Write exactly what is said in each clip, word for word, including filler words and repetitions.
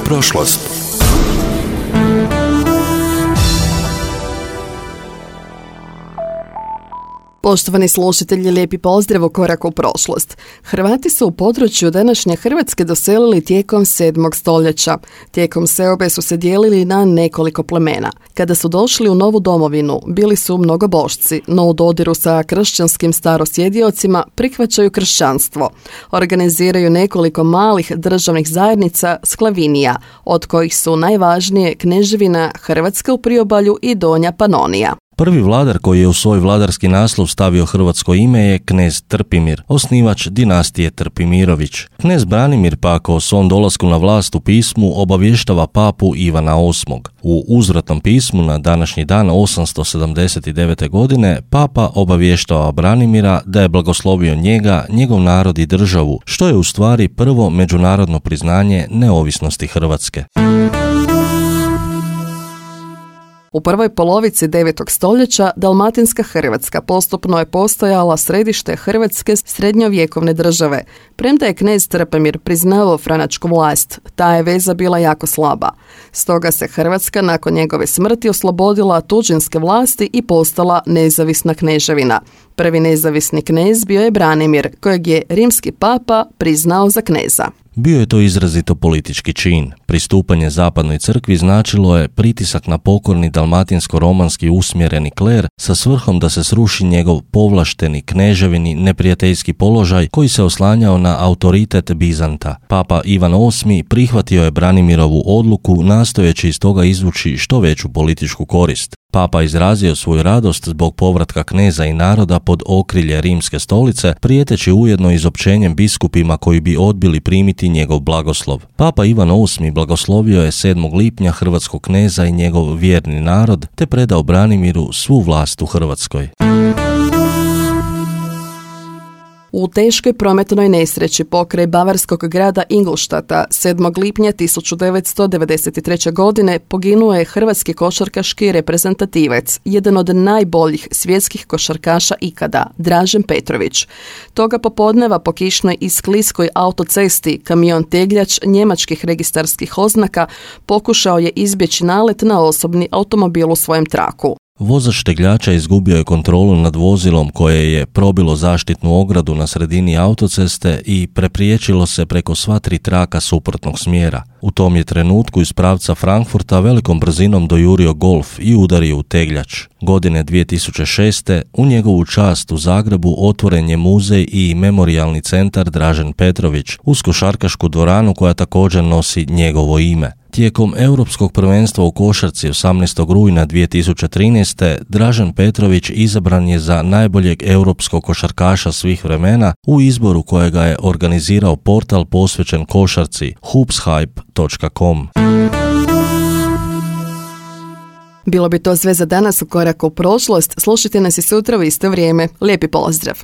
prošlost. Poštovani slušatelji, lijepi pozdrav u Korak u prošlost. Hrvati su u području današnje Hrvatske doselili tijekom sedmog stoljeća. Tijekom seobe su se dijelili na nekoliko plemena. Kada su došli u novu domovinu, bili su mnogobošci, no u dodiru sa kršćanskim starosjediocima prihvaćaju kršćanstvo. Organiziraju nekoliko malih državnih zajednica sklavinija, od kojih su najvažnije Kneževina Hrvatska u priobalju i Donja Panonija. Prvi vladar koji je u svoj vladarski naslov stavio hrvatsko ime je knez Trpimir, osnivač dinastije Trpimirović. Knez Branimir pak o svom dolasku na vlast u pismu obavještava papu Ivana osmog. U uzvratnom pismu na današnji dan osamsto sedamdeset devete. godine papa obavještava Branimira da je blagoslovio njega, njegov narod i državu, što je u stvari prvo međunarodno priznanje neovisnosti Hrvatske. U prvoj polovici devetog stoljeća Dalmatinska Hrvatska postupno je postojala središte hrvatske srednjovjekovne države. Premda je knez Trpimir priznavao franačku vlast, ta je veza bila jako slaba. Stoga se Hrvatska nakon njegove smrti oslobodila tuđinske vlasti i postala nezavisna kneževina. Prvi nezavisni knez bio je Branimir, kojeg je rimski papa priznao za kneza. Bio je to izrazito politički čin. Pristupanje zapadnoj crkvi značilo je pritisak na pokorni dalmatinsko-romanski usmjereni kler sa svrhom da se sruši njegov povlašteni kneževini neprijateljski položaj koji se oslanjao na autoritet Bizanta. Papa Ivan osmi prihvatio je Branimirovu odluku nastojeći iz toga izvući što veću političku korist. Papa izrazio svoju radost zbog povratka kneza i naroda pod okrilje rimske stolice, prijeteći ujedno izopćenjem biskupima koji bi odbili primiti njegov blagoslov. Papa Ivan osmi blagoslovio je sedmog lipnja hrvatskog kneza i njegov vjerni narod, te predao Branimiru svu vlast u Hrvatskoj. U teškoj prometnoj nesreći pokraj bavarskog grada Ingolštata sedmog lipnja tisuću devetsto devedeset treće. godine poginuo je hrvatski košarkaški reprezentativac, jedan od najboljih svjetskih košarkaša ikada, Dražen Petrović. Toga popodneva po kišnoj i skliskoj autocesti kamion tegljač njemačkih registarskih oznaka pokušao je izbjeći nalet na osobni automobil u svojem traku. Vozač tegljača izgubio je kontrolu nad vozilom koje je probilo zaštitnu ogradu na sredini autoceste i prepriječilo se preko sva tri traka suprotnog smjera. U tom je trenutku iz pravca Frankfurta velikom brzinom dojurio Golf i udario u tegljač. Godine dvije tisuće šeste. u njegovu čast u Zagrebu otvoren je muzej i memorijalni centar Dražen Petrović uz košarkašku dvoranu koja također nosi njegovo ime. Tijekom Europskog prvenstva u košarci osamnaestog rujna dvije tisuće trinaeste. Dražen Petrović izabran je za najboljeg europskog košarkaša svih vremena u izboru kojega je organizirao portal posvećen košarci hoopshype točka com. Bilo bi to sve za danas u Koraku u prošlost. Slušajte nas i sutra u isto vrijeme. Lijepi pozdrav!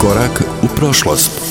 Korak u prošlost.